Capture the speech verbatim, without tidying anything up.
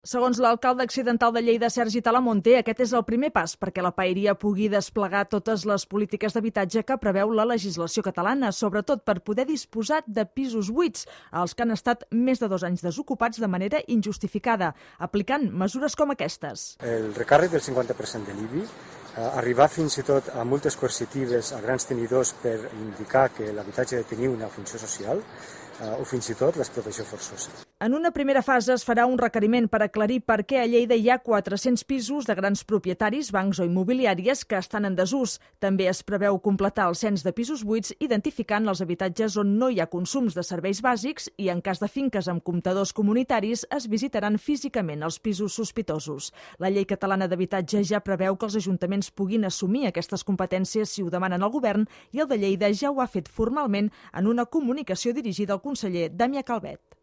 Segons l'alcalde accidental de Lleida, Sergi Talamonte, aquest és el primer pas perquè la paeria pugui desplegar totes les polítiques d'habitatge que preveu la legislació catalana, sobretot per poder disposar de pisos buits, els que han estat més de dos anys desocupats de manera injustificada, aplicant mesures com aquestes. El recàrrec del cinquanta per cent de l'I B I, arribar fins i tot a multes coercitives a grans tenidors per indicar que l'habitatge ha de tenir una funció social, o fins i tot l'explotació forçosa. En una primera fase es farà un requeriment per aclarir per què a Lleida hi ha quatre-cents pisos de grans propietaris, bancs o immobiliàries que estan en desús. També es preveu completar el cens de pisos buits identificant els habitatges on no hi ha consums de serveis bàsics i, en cas de finques amb comptadors comunitaris, es visitaran físicament els pisos sospitosos. La llei catalana d'habitatge ja preveu que els ajuntaments puguin assumir aquestes competències si ho demanen al govern i el de Lleida ja ho ha fet formalment en una comunicació dirigida al conseller Damià Calvet.